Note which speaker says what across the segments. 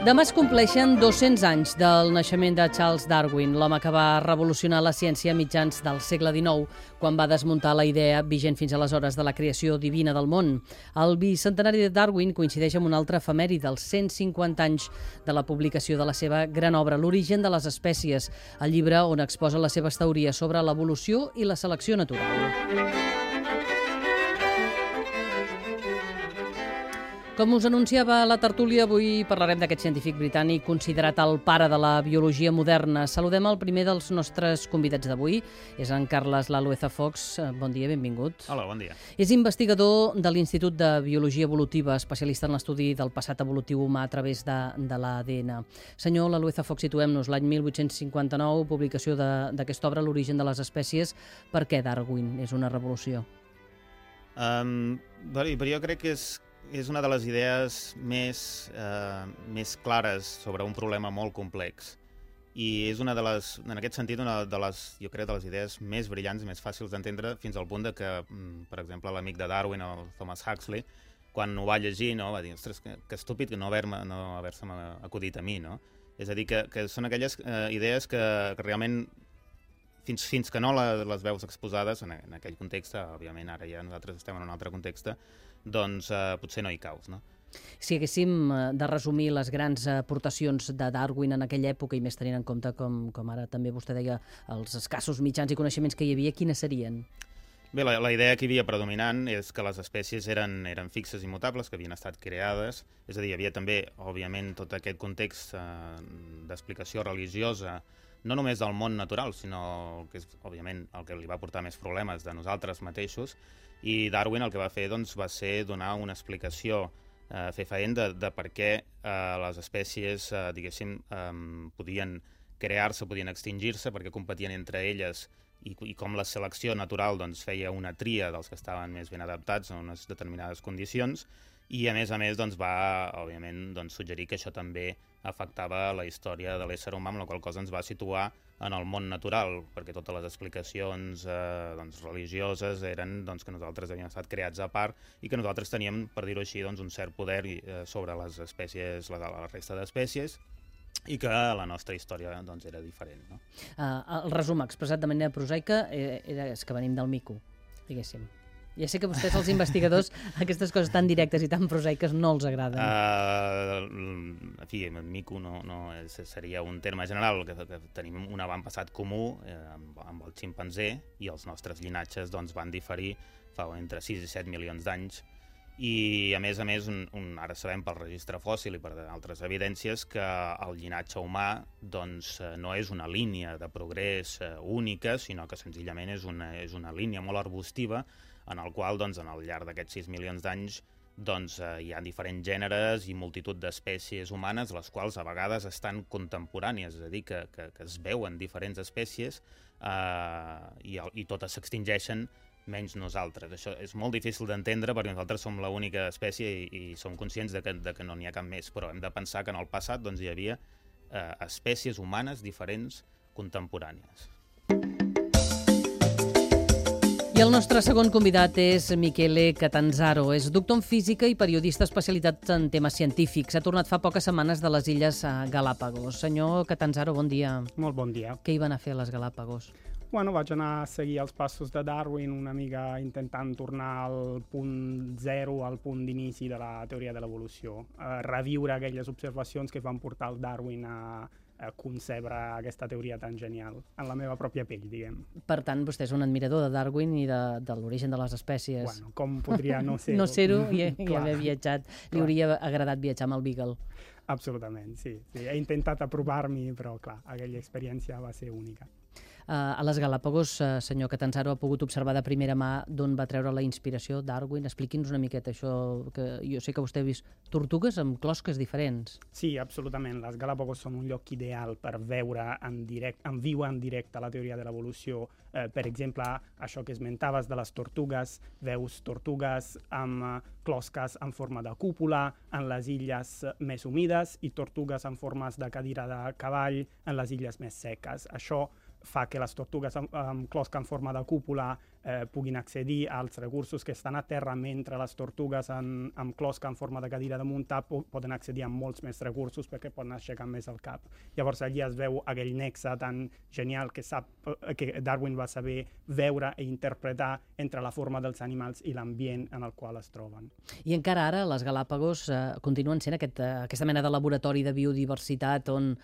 Speaker 1: Demà es compleixen 200 anys del naixement de Charles Darwin, l'home que va revolucionar la ciència a mitjans del segle XIX, quan va desmuntar la idea vigent fins aleshores de la creació divina del món. El bicentenari de Darwin coincideix amb un altre efemèri dels 150 anys de la publicació de la seva gran obra, L'origen de les espècies, el llibre on exposa les seves teories sobre l'evolució i la selecció natural. Com us anunciava la tertúlia, avui parlarem d'aquest científic britànic considerat el pare de la biologia moderna. Saludem el primer dels nostres convidats d'avui, és en Carles Lalueza Fox. Bon dia, benvingut.
Speaker 2: Hola, bon dia.
Speaker 1: És investigador de l'Institut de Biologia Evolutiva, especialista en l'estudi del passat evolutiu humà a través de l'ADN. Senyor Lalueza Fox, situem-nos l'any 1859, publicació d'aquesta obra, L'origen de les espècies. Per què Darwin és una revolució?
Speaker 2: Però jo crec que és una de les idees més clares sobre un problema molt complex i és en aquest sentit, jo crec, de les idees més brillants i més fàcils d'entendre, fins al punt de que, per exemple, l'amic de Darwin, el Thomas Huxley, quan ho va llegir, va dir, ostres, que estúpid que no haver-se acudit a mi, no? És a dir, que són aquelles idees que realment, fins que no les veus exposades en aquell context, òbviament ara ja nosaltres estem en un altre context, doncs potser no hi caus, no?
Speaker 1: Si haguéssim de resumir les grans aportacions de Darwin en aquella època, i més tenint en compte, com ara també vostè deia, els escassos mitjans i coneixements que hi havia, quines serien?
Speaker 2: Bé, la idea que hi havia predominant és que les espècies eren fixes i mutables, que havien estat creades, és a dir, hi havia també, òbviament, tot aquest context d'explicació religiosa, no només del món natural, sinó que és, òbviament, el que li va portar més problemes de nosaltres mateixos, i Darwin el que va fer va ser donar una explicació fefaent de per què les espècies, diguéssim, podien crear-se, podien extingir-se, perquè competien entre elles i com la selecció natural feia una tria dels que estaven més ben adaptats a unes determinades condicions, i a més va, òbviament, suggerir que això també afectava la història de l'ésser humà, amb la qual cosa ens va situar en el món natural, perquè totes les explicacions religioses eren que nosaltres havíem estat creats a part i que nosaltres teníem, per dir-ho així, un cert poder sobre les espècies, la resta d'espècies, i que la nostra història era diferent, no?
Speaker 1: El resum expressat de manera prosaica és que venim del mico, diguéssim. Ja sé que vostès, els investigadors, aquestes coses tan directes i tan prosaiques no els agraden.
Speaker 2: En fi, mico seria un terme general, que tenim un avantpassat comú amb el ximpanzé, i els nostres llinatges van diferir fa entre 6 i 7 milions d'anys, i a més, ara sabem pel registre fòssil i per altres evidències que el llinatge humà no és una línia de progrés única, sinó que senzillament és una línia molt arbustiva en el qual, al llarg d'aquests 6 milions d'anys, hi ha diferents gèneres i multitud d'espècies humanes, les quals a vegades estan contemporànies, és a dir, que es veuen diferents espècies i totes s'extingeixen menys nosaltres. Això és molt difícil d'entendre perquè nosaltres som l'única espècie i som conscients de que no n'hi ha cap més, però hem de pensar que en el passat hi havia espècies humanes diferents contemporànies.
Speaker 1: I el nostre segon convidat és Michele Catanzaro. És doctor en física i periodista especialitzat en temes científics. Ha tornat fa poques setmanes de les Illes Galápagos. Senyor Catanzaro, bon dia.
Speaker 3: Molt bon dia.
Speaker 1: Què hi van a fer a les Galápagos?
Speaker 3: Vaig anar a seguir els passos de Darwin, una mica intentant tornar al punt zero, al punt d'inici de la teoria de l'evolució. Reviure aquelles observacions que van portar el Darwin a concebre aquesta teoria tan genial en la meva pròpia pell, diguem.
Speaker 1: Per tant, vostè és un admirador de Darwin i de l'origen de les espècies.
Speaker 3: Bueno, com podria no ser-ho?
Speaker 1: No ser-ho i haver viatjat. Li hauria agradat viatjar amb el Beagle.
Speaker 3: Absolutament, sí. He intentat apropar-m'hi, però clar, aquella experiència va ser única.
Speaker 1: A les Galápagos, senyor Catanzaro, ha pogut observar de primera mà d'on va treure la inspiració Darwin. Expliqui'ns una miqueta això, que jo sé que vostè ha vist tortugues amb closques diferents.
Speaker 3: Sí, absolutament. Les Galápagos són un lloc ideal per veure en viu en directe la teoria de l'evolució. Per exemple, això que esmentaves de les tortugues, veus tortugues amb closques en forma de cúpula en les illes més humides i tortugues en formes de cadira de cavall en les illes més seques. Això fa que les tortugues amb closca en forma de cúpula puguin accedir als recursos que estan a terra, mentre les tortugues amb closca en forma de cadira de muntar poden accedir a molts més recursos perquè poden aixecar més el cap. Llavors allí es veu aquell nexe tan genial que Darwin va saber veure i interpretar entre la forma dels animals i l'ambient en el qual es troben.
Speaker 1: I encara ara les Galàpagos continuen sent aquesta mena de laboratori de biodiversitat on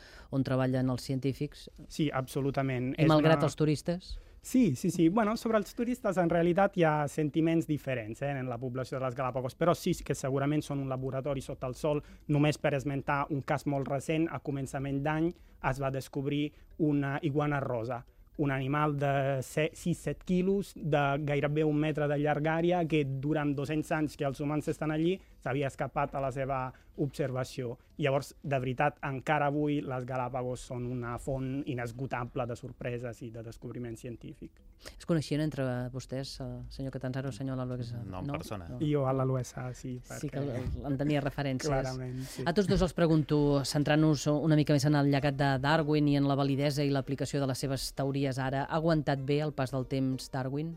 Speaker 1: treballen els científics?
Speaker 3: Sí, absolutament.
Speaker 1: I malgrat els turistes?
Speaker 3: Sí. Bueno, sobre els turistes en realitat hi ha sentiments diferents en la població de les Galàpagos, però sí que segurament són un laboratori sota el sol. Només per esmentar un cas molt recent, a començament d'any es va descobrir una iguana rosa, un animal de 6-7 quilos, de gairebé 1 metre de llargària, que durant 200 anys que els humans estan allí s'havia escapat a la seva observació. Llavors, de veritat, encara avui les Galàpagos són una font inesgotable de sorpreses i de descobriment científic.
Speaker 1: Es coneixien entre vostès, senyor Catanzaro, senyor Laluesa?
Speaker 2: No, en persona.
Speaker 3: I jo a l'Aluesa, sí.
Speaker 1: Sí que en tenia referències.
Speaker 3: Clarament, sí.
Speaker 1: A tots dos els pregunto, centrant-nos una mica més en el llegat de Darwin i en la validesa i l'aplicació de les seves teories ara, ha aguantat bé el pas del temps Darwin?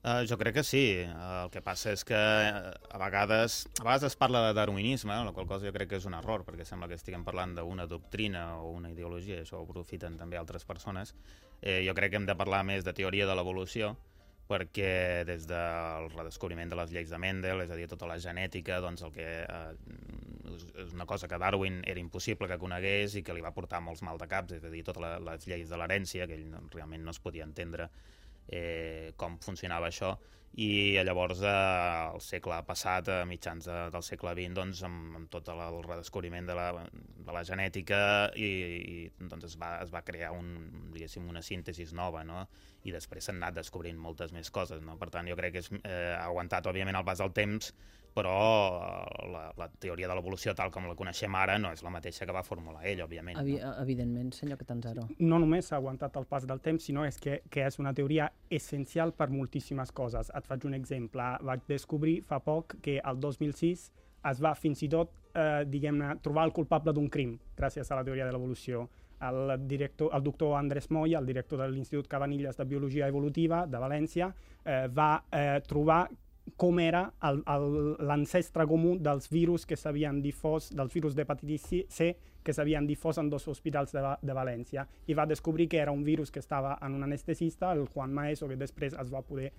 Speaker 2: Jo crec que sí. El que passa és que a vegades es parla de darwinisme, la qual cosa jo crec que és un error, perquè sembla que estiguem parlant d'una doctrina o una ideologia, i això ho aprofiten també altres persones. Jo crec que hem de parlar més de teoria de l'evolució, perquè des del redescobriment de les lleis de Mendel, és a dir, tota la genètica, doncs el que és una cosa que Darwin era impossible que conegués i que li va portar molts maldecaps, és a dir, totes les lleis de l'herència, que ell realment no es podia entendre com funcionava això, i llavors al segle passat, a mitjans del segle XX, doncs, amb tot el redescobriment de la genètica, i doncs es va crear una síntesi nova, no? I després s'han anat descobrint moltes més coses, no? Per tant, jo crec que ha aguantat, òbviament, el pas del temps, però la teoria de l'evolució tal com la coneixem ara no és la mateixa que va formular ell, òbviament.
Speaker 1: Evidentment, senyor Catanzaro.
Speaker 3: No només ha aguantat el pas del temps, sinó que és una teoria essencial per moltíssimes coses. Et faig un exemple. Vaig descobrir fa poc que el 2006 es va fins i tot, trobar el culpable d'un crim, gràcies a la teoria de l'evolució. El doctor Andrés Moya, el director de l'Institut Cabanilles de Biologia Evolutiva de València, va trobar com era l'ancestre comú dels virus que s'havien difós, dels virus d'hepatitis C que s'havien difós en 2 hospitals de València. I va descobrir que era un virus que estava en un anestesista, el Juan Maeso, que després es va poder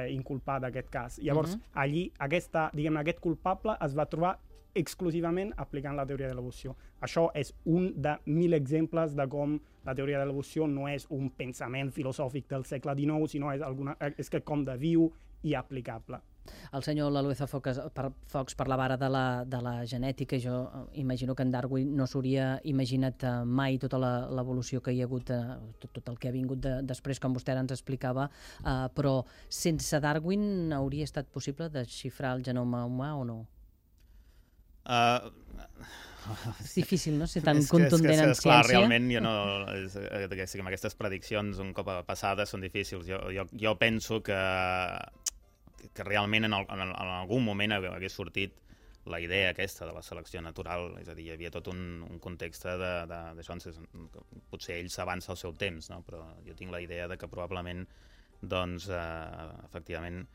Speaker 3: inculpar d'aquest cas. Llavors, allí, aquest culpable es va trobar exclusivament aplicant la teoria de l'evolució. Això és un de 1.000 exemples de com la teoria de l'evolució no és un pensament filosòfic del segle XIX, sinó és quelcom de viu i aplicable.
Speaker 1: El senyor Lalueza Fox parlava ara de la genètica, i jo imagino que en Darwin no s'hauria imaginat mai tota l'evolució que hi ha hagut, tot el que ha vingut després, com vostè ara ens explicava, però sense Darwin hauria estat possible desxifrar el genoma humà o no? És difícil, no?, ser tan contundent en ciència.
Speaker 2: Clar, realment, aquestes prediccions un cop passades són difícils. Jo penso que realment en algun moment hagués sortit la idea aquesta de la selecció natural, és a dir, hi havia tot un context d'això, potser ell s'avança al seu temps, no? Però jo tinc la idea de que probablement, doncs, efectivament,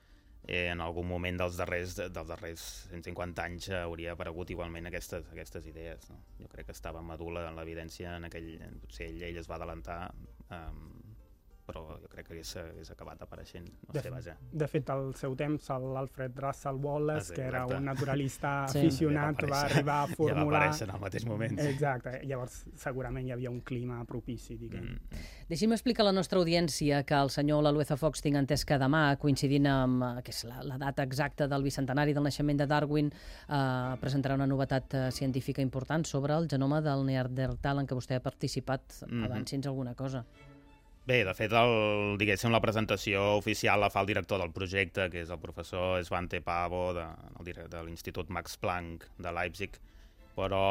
Speaker 2: en algun moment dels darrers 150 anys hauria aparegut igualment aquestes idees, no? Jo crec que estava madur l'evidència en aquell... Potser ell es va adelantar, però jo crec que hagués acabat apareixent. No sé, vaja.
Speaker 3: De fet, al seu temps, l'Alfred Russel Wallace, que era un naturalista aficionat, va arribar a formular...
Speaker 2: Ja va aparèixer en el mateix moment.
Speaker 3: Exacte. Llavors, segurament hi havia un clima propici, diguem.
Speaker 1: Deixi'm explicar a la nostra audiència que el senyor Lalueza Fox tinc entès que demà, coincidint amb que és la data exacta del bicentenari del naixement de Darwin, presentarà una novetat científica important sobre el genoma del Neandertal en què vostè ha participat. Avanci'ns alguna cosa.
Speaker 2: Bé, de fet, la presentació oficial la fa el director del projecte, que és el professor Svante Paavo de l'Institut Max Planck de Leipzig, però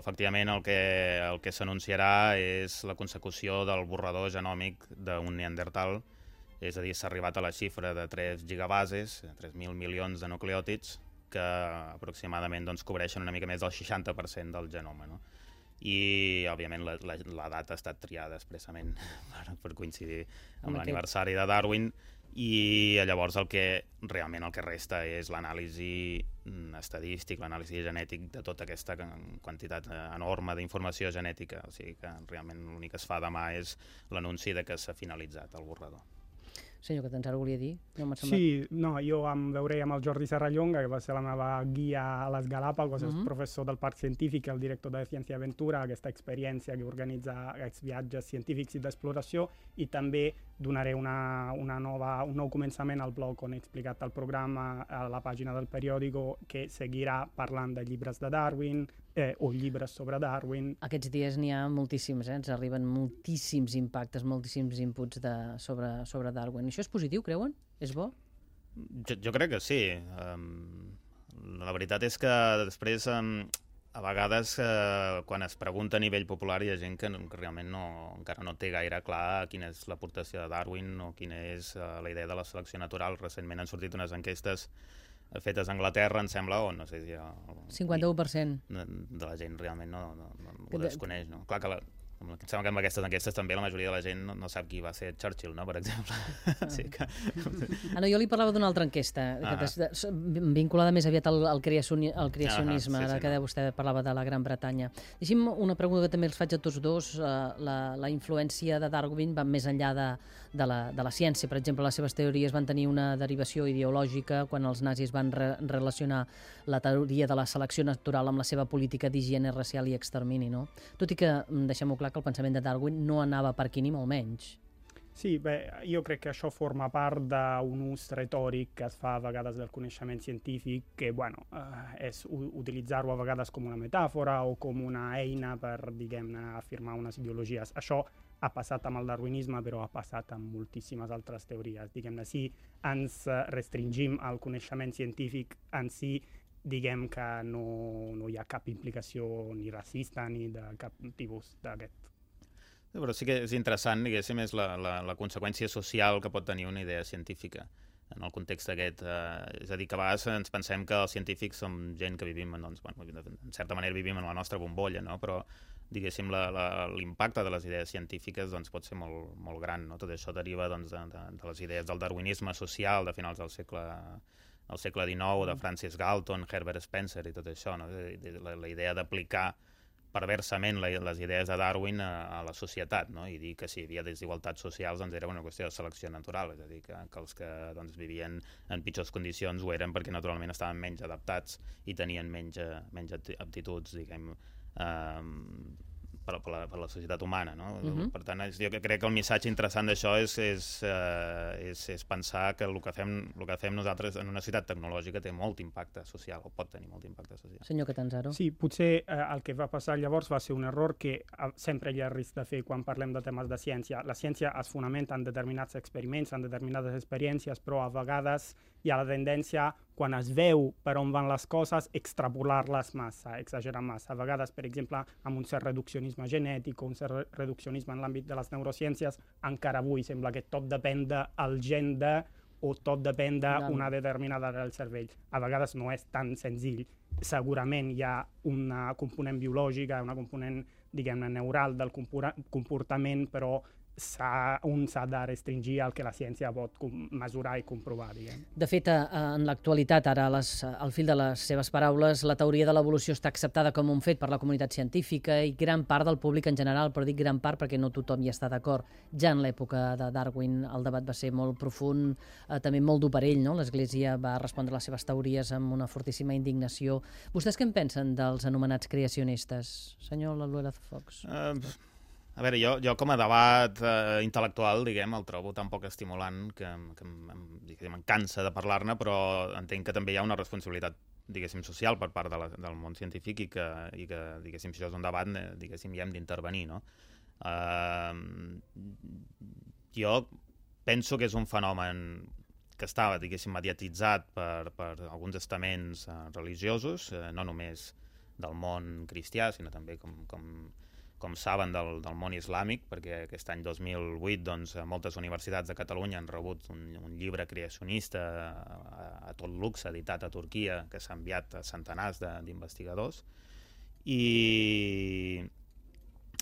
Speaker 2: efectivament el que s'anunciarà és la consecució del borrador genòmic d'un Neandertal, és a dir, s'ha arribat a la xifra de 3 gigabases, 3.000 milions de nucleòtids, que aproximadament cobreixen una mica més del 60% del genoma, no? I, òbviament, la data ha estat triada expressament per coincidir amb l'aniversari de Darwin, i llavors el que resta és l'anàlisi estadístic, l'anàlisi genètic de tota aquesta quantitat enorme d'informació genètica. O sigui que realment l'únic que es fa demà és l'anunci de que s'ha finalitzat el borrador.
Speaker 1: Senyor Catanzaro, volia dir?
Speaker 3: Sí, no, jo em veuré amb el Jordi Serrallonga, que va ser la meva guia a les Galàpagos, és professor del Parc Científic, el director de Ciència i Aventura, aquesta experiència que organitza aquests viatges científics i d'exploració, i també donaré un nou començament al blog on he explicat el programa a la pàgina del periòdico, que seguirà parlant de llibres de Darwin, o llibres sobre Darwin.
Speaker 1: Aquests dies n'hi ha moltíssims, ens arriben moltíssims impactes, moltíssims inputs sobre Darwin. Això és positiu, creuen? És bo?
Speaker 2: Jo crec que sí. La veritat és que després, a vegades, quan es pregunta a nivell popular, hi ha gent que realment encara no té gaire clar quina és l'aportació de Darwin o quina és la idea de la selecció natural. Recentment han sortit unes enquestes fetes a Anglaterra, em sembla, o no sé si...
Speaker 1: 51%.
Speaker 2: De la gent realment ho desconeix, no? Clar que em sembla que amb aquestes enquestes també la majoria de la gent no sap qui va ser Churchill, no?, per exemple. Sí que...
Speaker 1: No, jo li parlava d'una altra enquesta, vinculada més aviat al creacionisme, ara que vostè parlava de la Gran Bretanya. Deixi'm una pregunta que també els faig a tots dos. La influència de Darwin va més enllà de la ciència. Per exemple, les seves teories van tenir una derivació ideològica quan els nazis van relacionar la teoria de la selecció natural amb la seva política d'higiene racial i extermini, no? Tot i que, deixem-ho clar, que el pensament de Darwin no anava per aquí ni molt menys.
Speaker 3: Sí, jo crec que això forma part d'un ús retòric que es fa a vegades del coneixement científic, que és utilitzar-ho a vegades com una metàfora o com una eina per, diguem-ne, afirmar unes ideologies. Això ha passat amb el darwinisme, però ha passat amb moltíssimes altres teories. Diguem-ne, si ens restringim al coneixement científic en si, diguem que no hi ha cap implicació ni racista ni de cap tipus d'aquest.
Speaker 2: Però sí que és interessant, diguéssim, és la conseqüència social que pot tenir una idea científica en el context aquest. És a dir, que a vegades ens pensem que els científics som gent que vivim, doncs, en certa manera vivim en la nostra bombolla, no? Però diguéssim, l'impacte de les idees científiques doncs, pot ser molt, molt gran, no? Tot això deriva doncs, de les idees del darwinisme social de finals del segle XIX, de Francis Galton, Herbert Spencer i tot això, no? La idea d'aplicar perversament les idees de Darwin a la societat, no? I dir que si hi havia desigualtats socials doncs era una qüestió de selecció natural, és a dir, que els que doncs, vivien en pitjors condicions ho eren perquè naturalment estaven menys adaptats i tenien menys aptituds, diguem, per la societat humana, no? Per tant, jo crec que el missatge interessant d'això és pensar que el que fem nosaltres en una societat tecnològica té molt impacte social, o pot tenir molt impacte social.
Speaker 1: Senyor Catanzaro.
Speaker 3: Sí, potser el que va passar llavors va ser un error que sempre hi ha risc de fer quan parlem de temes de ciència. La ciència es fonamenta en determinats experiments, en determinades experiències, però a vegades hi ha la tendència, quan es veu per on van les coses, extrapolar-les massa, exagerar massa. A vegades, per exemple, amb un cert reduccionisme genètic o un cert reduccionisme en l'àmbit de les neurociències, encara avui sembla que tot depèn del gen o tot depèn d'una determinada del cervell. A vegades no és tan senzill. Segurament hi ha una component biològica, una component, diguem-ne, neural del comportament, però un s'ha de restringir al que la ciència pot mesurar i comprovar, diguem.
Speaker 1: De fet, en l'actualitat, ara, al fil de les seves paraules, la teoria de l'evolució està acceptada com un fet per la comunitat científica i gran part del públic en general, però dic gran part perquè no tothom hi està d'acord. Ja en l'època de Darwin el debat va ser molt profund, també molt dur per ell, no? L'Església va respondre a les seves teories amb una fortíssima indignació. Vostès què en pensen dels anomenats creacionistes? Senyor Laluela Fox.
Speaker 2: A veure, jo com a debat intel·lectual, diguem, el trobo tan poc estimulant que em cansa de parlar-ne, però entenc que també hi ha una responsabilitat, diguéssim, social per part del món científic i que diguéssim, si això és un debat, diguéssim, hi hem d'intervenir, no? Jo penso que és un fenomen que estava, diguéssim, mediatitzat per alguns estaments religiosos, no només del món cristià, sinó també com saben, del món islàmic, perquè aquest any 2008 doncs, moltes universitats de Catalunya han rebut un llibre creacionista a tot luxe, editat a Turquia, que s'ha enviat a centenars d'investigadors. I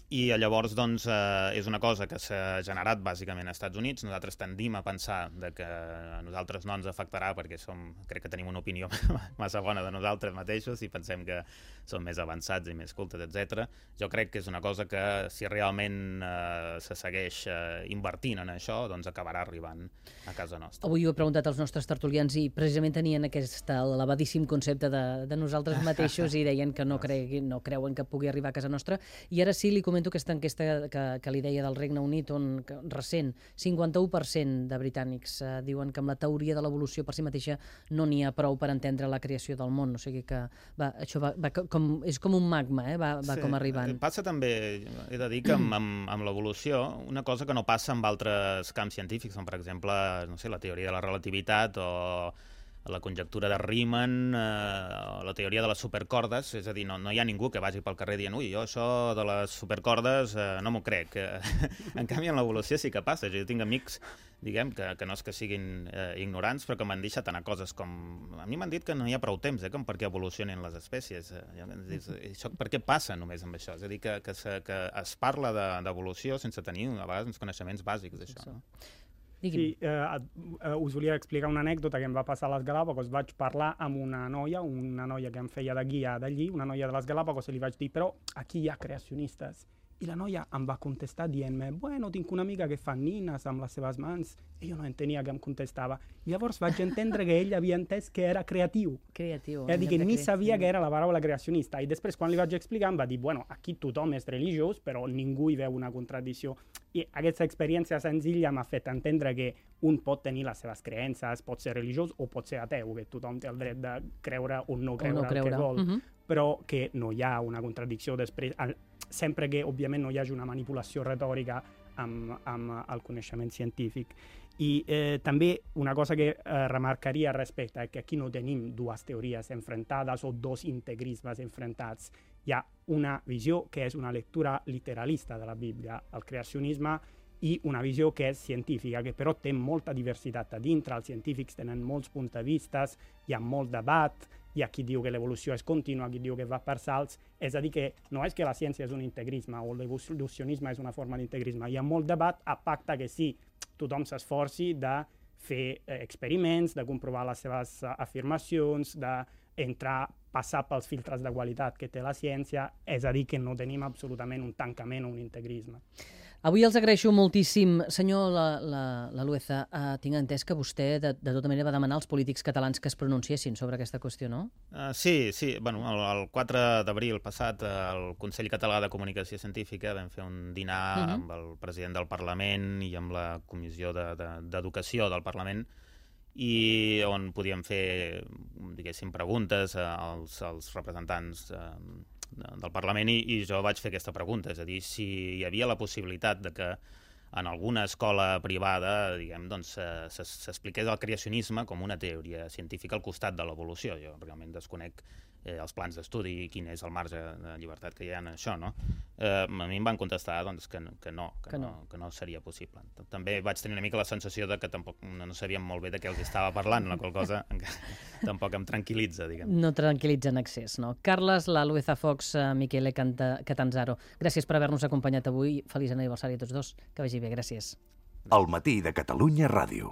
Speaker 2: I llavors doncs, és una cosa que s'ha generat bàsicament als Estats Units. Nosaltres tendim a pensar que a nosaltres no ens afectarà perquè crec que tenim una opinió massa bona de nosaltres mateixos i pensem que som més avançats i més cultes, etc. Jo crec que és una cosa que si realment se segueix invertint en això, doncs acabarà arribant a casa nostra.
Speaker 1: Avui ho he preguntat als nostres tertulians i precisament tenien aquest elevadíssim concepte de nosaltres mateixos i deien que no creuen que pugui arribar a casa nostra. I ara sí li comento aquesta enquesta que li deia del Regne Unit, on recent 51% de britànics diuen que amb la teoria de l'evolució per si mateixa no n'hi ha prou per entendre la creació del món. O sigui que això és com un magma, va com arribant.
Speaker 2: Passa també, he de dir que amb l'evolució, una cosa que no passa amb altres camps científics, com per exemple, no sé, la teoria de la relativitat o la conjectura de Riemann, la teoria de les supercordes, és a dir, no hi ha ningú que vagi pel carrer dient ui, jo això de les supercordes no m'ho crec. En canvi, en l'evolució sí que passa. Jo tinc amics, diguem, que no és que siguin ignorants, però que m'han deixat anar coses com... A mi m'han dit que no hi ha prou temps, com perquè evolucionen les espècies. Això, per què passa només amb això? És a dir, que es parla d'evolució sense tenir, a vegades, uns coneixements bàsics d'això. No?
Speaker 3: Sí, us volia explicar una anècdota que em va passar a les Galàpagos. Vaig parlar amb una noia que em feia de guia d'allí, una noia de les Galàpagos, i li vaig dir, però aquí hi ha creacionistes. I la noia em va contestar dient-me, bueno, tinc una amiga que fa nines amb les seves mans. I jo no entenia què em contestava. I llavors vaig entendre que ell havia entès que era creatiu.
Speaker 1: Creatiu.
Speaker 3: És a dir, que ni sabia que era la paraula creacionista. I després, quan li vaig explicar, em va dir, bueno, aquí tothom és religiós, però ningú hi veu una contradicció. I aquesta experiència senzilla m'ha fet entendre que un pot tenir les seves creences, pot ser religiós o pot ser ateu, que tothom té el dret de creure o no creure el que vol, però que no hi ha una contradicció després, sempre que, òbviament, no hi hagi una manipulació retòrica amb el coneixement científic. I també una cosa que remarcaria respecte a que aquí no tenim dues teories enfrontades o dos integrismes enfrontats. Hi ha una visió que és una lectura literalista de la Bíblia, el creacionisme, i una visió que és científica, que però té molta diversitat a dintre. Els científics tenen molts punts de vista, hi ha molt debat, hi ha qui diu que l'evolució és contínua, qui diu que va per salts. És a dir, que no és que la ciència és un integrisme o l'evolucionisme és una forma d'integrisme. Hi ha molt debat a pacte que sí, tothom s'esforci de fer experiments, de comprovar les seves afirmacions, passar pels filtres de qualitat que té la ciència, és a dir, que no tenim absolutament un tancament o un integrisme.
Speaker 1: Avui els agraeixo moltíssim. Senyor Lalueza, tinc entès que vostè de tota manera va demanar als polítics catalans que es pronunciessin sobre aquesta qüestió, no?
Speaker 2: Sí. Bueno, el 4 d'abril passat el Consell Català de Comunicació Científica vam fer un dinar amb el president del Parlament i amb la Comissió d'Educació del Parlament, i on podíem fer, diguéssim, preguntes als representants del Parlament, i jo vaig fer aquesta pregunta, és a dir, si hi havia la possibilitat de que en alguna escola privada, diguem, doncs, s'expliqués el creacionisme com una teoria científica al costat de l'evolució. Jo realment desconec els plans d'estudi i quin és el marge de llibertat que hi ha en això, no? A mi em van contestar doncs, que no seria possible. També vaig tenir una mica la sensació de que tampoc no sabíem molt bé de què els estava parlant, la qual cosa tampoc em tranquil·litza, diguem.
Speaker 1: No tranquil·litza en excés, no? Carles Lalueza Fox, Michele Catanzaro, gràcies per haver-nos acompanyat avui. Feliç aniversari a tots dos. Que vagi bé, gràcies.
Speaker 4: El matí de Catalunya Ràdio.